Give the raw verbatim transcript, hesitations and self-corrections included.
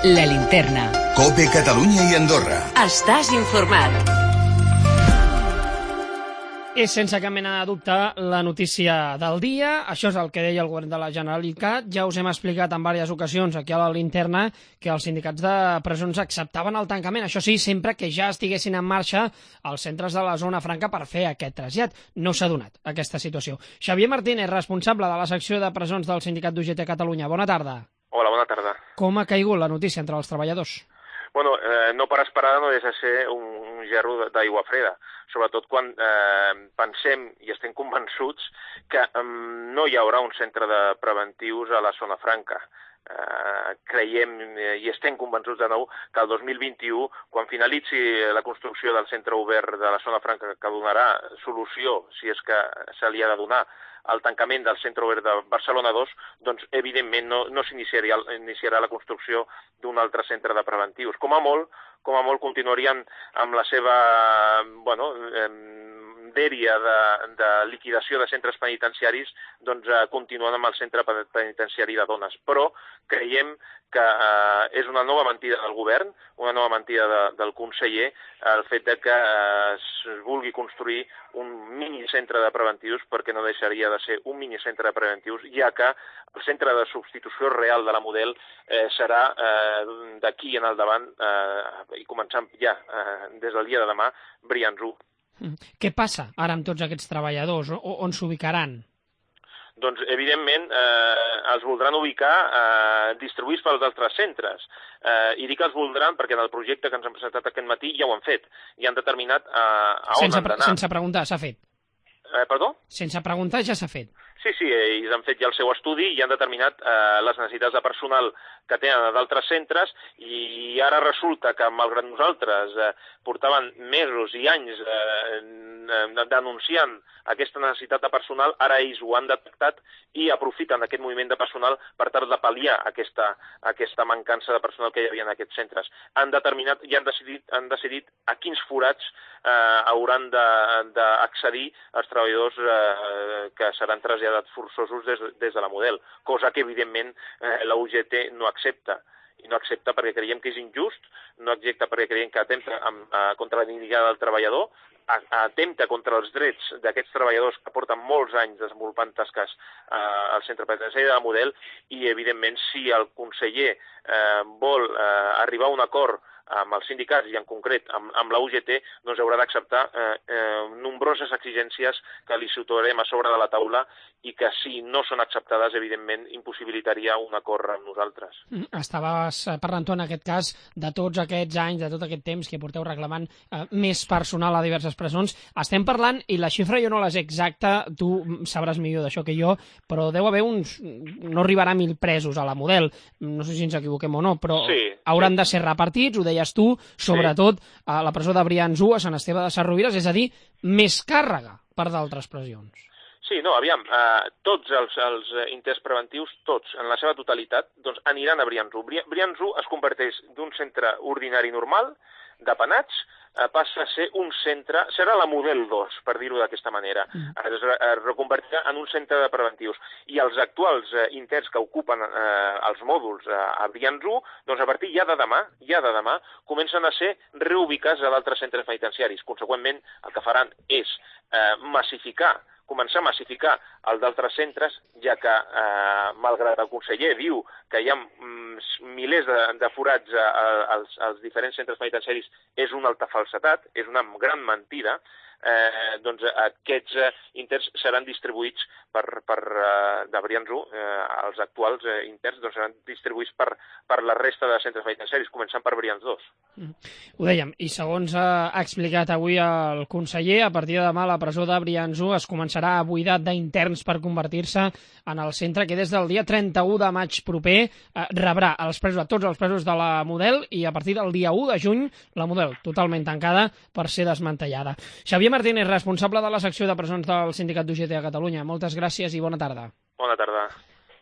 La Linterna. COPE Catalunya i Andorra. Estàs informat. És sense cap mena de dubte la notícia del dia. Això és el que deia el govern de la Generalitat. Ja us hem explicat en diverses ocasions aquí a la Linterna que els sindicats de presons acceptaven el tancament. Això sí, sempre que ja estiguessin en marxa els centres de la zona franca per fer aquest trasllat. No s'ha donat aquesta situació. Xavier Martínez, responsable de la secció de presons del sindicat d'U G T Catalunya. Bona tarda. Hola, bona tarda. Com ha caigut la notícia entre els treballadors? Bueno, eh, no per esperar no deixa de ser un, un gerro d'aigua freda, sobretot quan eh, pensem i estem convençuts que eh, no hi haurà un centre de preventius a la zona franca. Eh, creiem eh, i estem convençuts de nou que el dos mil vint-i-u, quan finalitzi la construcció del centre obert de la zona franca que donarà solució, si és que se li ha de donar, el tancament del centre obert de Barcelona dos, doncs evidentment no, no s'iniciarà iniciarà la construcció d'un altre centre de preventius. Com a molt, com a molt continuarien amb la seva, bueno, eh, dèria de, de liquidació de centres penitenciaris, doncs eh, continuant amb el centre penitenciari de dones. Però creiem que eh, és una nova mentida del govern, una nova mentida de, del conseller, el fet de que eh, es vulgui construir un minicentre de preventius, perquè no deixaria de ser un minicentre de preventius, ja que el centre de substitució real de la Model eh, serà eh, d'aquí en el davant, eh, i començant ja eh, des del dia de demà, Brians u. Què passa ara amb tots aquests treballadors? O, on s'ubicaran? Doncs, evidentment, eh, els voldran ubicar eh, distribuïts pels altres centres. Eh, I dic que els voldran perquè en el projecte que ens han presentat aquest matí ja ho han fet. I han determinat eh, a on sense, han d'anar. Sense preguntar, s'ha fet? Eh, perdó? Sense preguntar ja s'ha fet. Sí, sí, ells han fet ja el seu estudi i han determinat eh, les necessitats de personal que tenen d'altres centres i ara resulta que, malgrat nosaltres eh, portaven mesos i anys eh, denunciant aquesta necessitat de personal, ara ells ho han detectat i aprofiten aquest moviment de personal per tal de pal·liar aquesta, aquesta mancança de personal que hi havia en aquests centres. Han determinat i han decidit, han decidit a quins forats eh, hauran d'accedir els treballadors eh, que seran traslladats forçosos des, des de la Model, cosa que evidentment eh, la U G T no accepta. I no accepta perquè creiem que és injust, no accepta perquè creiem que atempta amb, a, contra la dignitat del treballador, a, atempta contra els drets d'aquests treballadors que porten molts anys desenvolupant tasques eh, al centre penitenciari de la Model i, evidentment, si el conseller eh, vol eh, arribar a un acord amb els sindicats i en concret amb, amb la U G T, doncs haurà d'acceptar eh, eh, nombroses exigències que li situarem a sobre de la taula i que si no són acceptades, evidentment, impossibilitaria un acord amb nosaltres. Estaves parlant tu en aquest cas de tots aquests anys, de tot aquest temps que porteu reclamant eh, més personal a diverses presons. Estem parlant, i la xifra jo no la sé exacta, tu sabràs millor d'això que jo, però deu haver uns... no arribarà a mil presos a la Model, no sé si ens equivoquem o no, però sí, hauran sí. de ser repartits, ho deies tu, sobretot sí. a la presó de Brians u, a Sant Esteve de Sesrovires, és a dir, més càrrega per d'altres presons. Sí, no, aviam, eh, tots els, els interns preventius, tots, en la seva totalitat, doncs aniran a Brians u. Brians u es converteix d'un centre ordinari normal, de penats, eh, passa a ser un centre, serà la Model dos, per dir-ho d'aquesta manera. Mm. Es, es reconvertirà en un centre de preventius. I els actuals eh, interns que ocupen eh, els mòduls eh, a Brians u, doncs a partir ja de demà, ja de demà, comencen a ser reubicats a d'altres centres penitenciaris. Conseqüentment, el que faran és eh, massificar començar a massificar el d'altres centres, ja que, eh, malgrat el conseller diu que hi ha mm, milers de, de forats a, a, als, als diferents centres penitenciaris, és una alta falsetat, és una gran mentida, eh, doncs aquests eh, interns seran distribuïts per, per eh, de Brians u, eh, els actuals eh, interns doncs seran distribuïts per, per la resta de centres penitenciaris, començant per Brians dos. Mm. Ho dèiem, i segons ha explicat avui el conseller, a partir de demà la presó de Brians u es començarà a buidar d'interns per convertir-se en el centre que des del dia trenta-u de maig proper eh, rebrà els presos, a tots els presos de la Model, i a partir del dia u de juny la Model totalment tancada per ser desmantellada. Xavier Martínez, responsable de la secció de presons del sindicat d'U G T a Catalunya. Moltes gràcies i bona tarda. Bona tarda.